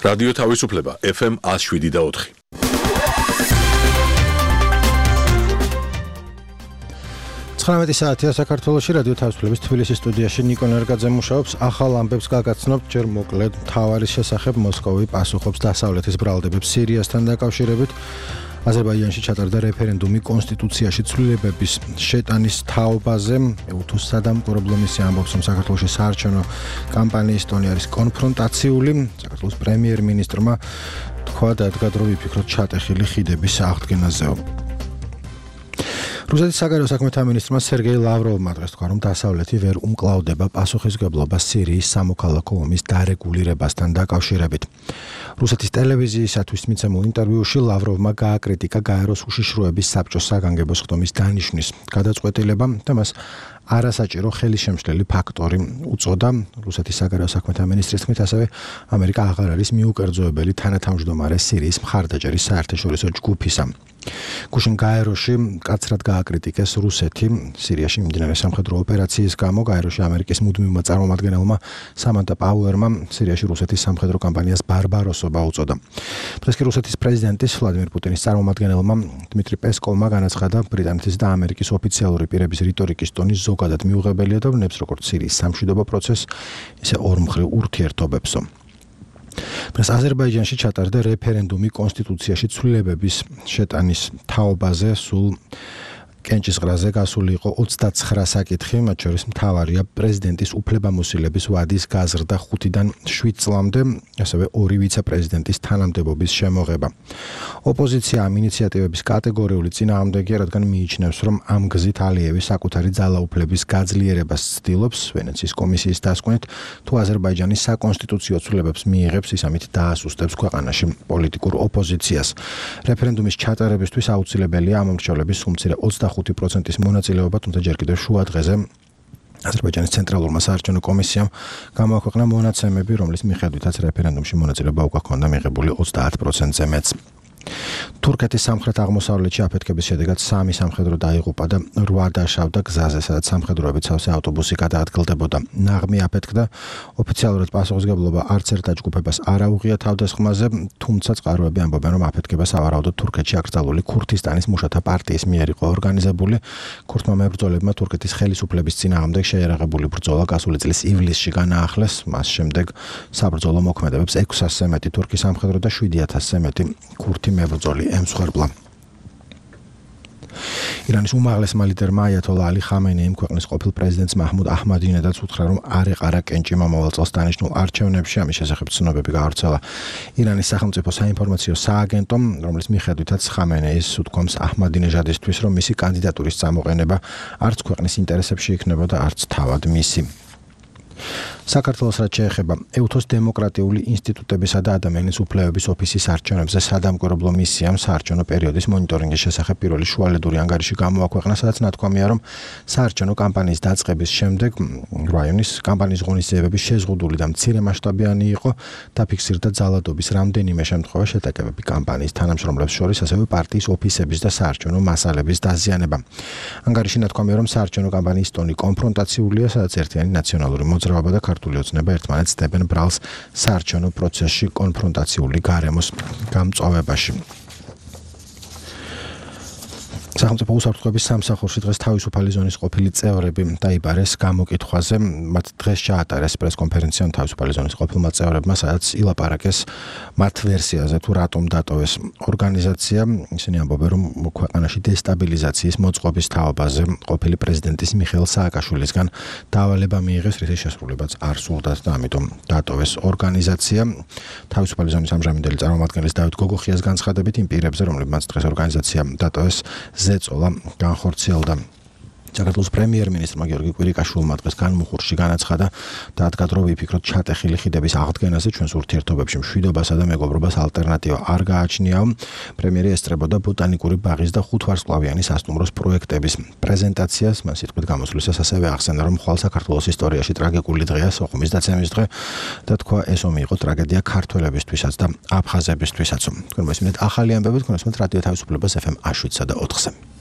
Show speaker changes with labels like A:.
A: რადიო თავისუფლება FM 107.4.
B: საათია საქართველოში რადიო თავისუფლების თბილისის სტუდიაში ნიკო ნერგაძე მუშაობს. ახალ ამბებს გაგაცნობთ, ჯერ მოკლედ მთავარის შესახებ მოსკოვი პასუხობს დასავლეთის ბრალდებებს სირიასთან დაკავშირებით. აზერბაიჯანში ჩატარდა რეფერენდუმი კონსტიტუციაში ცვლილებების შეტანის თაობაზე. უთუს სადამკვირვებლო მისია ამბობს, რომ საქართველოში საარჩევნო კამპანიის ტონი არის კონფრონტაციული. საქართველოს პრემიერ-მინისტრმა თქვა დადგა დრო ვიფიქროთ ჩატეხილი ხიდების აღდგენაზეო. რუსეთის საგარეო საქმეთა მინისტრმა სერგეი ლავროვმა დღეს თქვა, რომ დასავლეთი ვერ უმკლავდება პასუხისმგებლობას სირიის სამოქალაქო ომის დარეგულირებასთან დაკავშირებით. რუსეთის ტელევიზიისათვის მიცემულ ინტერვიუში ლავროვმა გააკრიტიკა გაეროს უშიშროების საბჭოს საგანგებო სხდომის დანიშვნის გადაწყვეტილება და მას არასაჭირო ხელისშემშლელი ფაქტორი უწოდა. რუსეთის საგარეო საქმეთა მინისტრის თქმით, ასევე ამერიკა აღარ არის მიუკერძოებელი თანათავმჯდომარე სირიის მხარდაჭერის საერთაშორისო ჯგუფისა. გუშინ გაეროში კაცრად გააკრიტიკეს რუსეთი სირიაში მიმდინარე სამხედრო ოპერაციის გამო. გაეროში ამერიკის მუდმივმა წარმომადგენელმა სამანტა პაუერმა სირიაში რუსეთის სამხედრო კამპანიას ბარბაროსობა უწოდა. დღეს კი რუსეთის პრეზიდენტის ვლადიმირ პუტინის წარმომადგენელმა დმიტრი პესკოვმა განაცხადა, ბრიტანეთის და ამერიკის ოფიციალური პირების რიტორიკის ტონი ზოგადად მიუღებელია და ვნებს როგორც სირიის სამშვიდობო პროცესს, ისე ორმხრივ ურთიერთობებსო. დღეს აზერბაიჯანში ჩატარდა რეფერენდუმი კონსტიტუციაში ცვლილებების შეტანის თაობაზე. სულ კენჭისყრაზე გასული იყო 29 საკითხი, მათ შორის მთავარია პრეზიდენტის უფლებამოსილების ვადის გაზრდა 5-დან 7 წლამდე, ასევე 2 ვიცე-პრეზიდენტის თანამდებობის შემოღება. ოპოზიცია ამ ინიციატივების კატეგორიული წინააღმდეგია, რადგან მიიჩნევს, რომ ამ გზით ალიევი საკუთარი ძალაუფლების გაძლიერებას ცდილობს. ვენეციის კომისიის დასკვნით, თუ აზერბაიჯანის საკონსტიტუციო ცვლილებებს მიიღებს, ის ამით დაასუსტებს ქვეყანაში პოლიტიკურ ოპოზიციას. რეფერენდუმის ჩატარებისთვის აუცილებელია ამ მრჩევლების სულ მცირე 25%-ის მონაწილეობა, თუმცა ჯერ კიდევ შუა დღეზე აზერბაიჯანის ცენტრალურმა საარჩევნო კომისიამ გამოაქვეყნა მონაცემები, რომლის მიხედვითაც რეფერენდუმში მონაწილეობა უკვე ჰქონდა მიღებული 30%-ზე მეც. თურქეთის სამხრეთ-აღმოსავლეთში აფეთქების შედეგად 3 სამხედრო დაიღუპა და 8 დაშავდა გზაზე, სადაც სამხედროებით სავსე ავტობუსი გადაადგილდებოდა. ნაღმი აფეთქდა. ოფიციალურად პასუხისმგებლობა არც ერთ დაჯგუფებას არ აუღია თავდასხმაზე, თუმცა წყაროები ამბობენ, რომ აფეთქება სავარაუდოდ თურქეთში აკრძალული ქურთისტანის მუშათა პარტიის მიერ იყო ორგანიზებული. ქურთმა მებრძოლებმა თურქეთის ხელისუფლების წინააღმდეგ შეიარაღებული ბრძოლა გასული წლის ივლისში განაახლეს. მას შემდეგ საბრძოლო მოქმედებებს 600-ზე მეტი თურქი სამხედრო და 7000-ზე მეტი ქურთი მებრძოლი ემსხვერპლა. ირანის უმაღლესმა ლიდერმა აიათოლა ალი ხამენეიმ ქვეყნის ყოფილ პრეზიდენტს მაჰმუდ აჰმადინედაც უთხრა, რომ არ ეყარა კენჭი მომავალ წელს დანიშნულ არჩევნებში. ამის შესახებ ცნობები გაავრცელა ირანის სახელმწიფო საინფორმაციო სააგენტომ, რომლის მიხედვითაც ხამენეის უთქვამს აჰმადინეჟადისთვის, რომ მისი კანდიდატურის წამოყენება არც ქვეყნის ინტერესებში იქნება და არც თავად მისი. საქართველოს რაც შეეხება ეუთოს დემოკრატიული ინსტიტუტებისა და ადამიანის უფლებების ოფისის არჩევნებზე სადამკვირვებლო მისიამ საარჩევნო პერიოდის მონიტორინგის შესახებ პირველი შუალედური ანგარიში გამოაქვეყნა, სადაც ნათქვამია, რომ საარჩევნო კამპანიის დაწყების შემდეგ რაიონის კამპანიის ღონისძიებები შეზღუდული და მცირე მასშტაბიანი იყო. დაფიქსირდა ძალადობის რამდენიმე შემთხვევა, შეტაკებები კამპანიის თანამშრომლებს შორის, ასევე პარტიის ოფისების და საარჩევნო მასალების დაზიანება. ანგარიში ნათქვამია, რომ საარჩევნო კამპანიის ტონი კონფრონტაციულია, სადაც ერთიანი ნაციონალური მოძრაობა და ქართული ოცნება ერთმანეთს დებენ ბრალს საარჩევნო პროცესში კონფრონტაციული გარემოს გამწვავებაში. სახელმწიფო უსაფრთხოების სამსახურში დღეს თავისუფალი ზონის ყოფილი წევრები დაიბარეს გამოკითხვაზე. მათ დღეს ჩაატარეს პრესკონფერენცია თავისუფალი ზონის ყოფილმა წევრებმა, სადაც ილაპარაკეს მათ ვერსიაზე, თუ რატომ დატოვეს ორგანიზაცია. ისინი ამბობენ, რომ ქვეყანაში დესტაბილიზაციის მოწყობის თაობაზე ყოფილი პრეზიდენტის მიხეილ სააკაშვილისგან დავალება მიიღეს, რის შესრულებაც არ სურდათ და ამიტომ დატოვეს ორგანიზაცია. თავისუფალი ზონის ამჟამინდელი წარმომადგენლის დავით გოგოხიას განცხადებით, იმ პირებზე, რომლებმაც დღეს ორგანიზაცია დატოვეს, ზეწოლა განხორციელდა. საქართველოს პრემიერ-მინისტრმა გიორგი კვირიკაშვილმა დღეს განმუხურში განაცხადა და ადგა დრო ვიფიქროთ ჩატეხილი ხიდების აღდგენაზე, ჩვენს ურთიერთობებში მშვიდობასა და მეგობრობას ალტერნატივა არ გააჩნიაო. პრემიერი ესწრებოდა ბოტანიკური ბაღის და 5 ვარსკვლავიანი სასტუმროს პროექტების პრეზენტაციას. მას სიტყვით გამოსვლისას ასევე ახსენა, რომ ხვალ საქართველოს ისტორიაში ტრაგიკული დღეა, სოხუმის დაცემის დღე და თქვა, ეს ომი იყო ტრაგედია ქართველებისთვისაც და აფხაზებისთვისაც. თქვენ მოსმენთ ახალი ამბები, თქვენ მოსმენთ რადიო თავისუფლებას FM 107 და 4-ზე.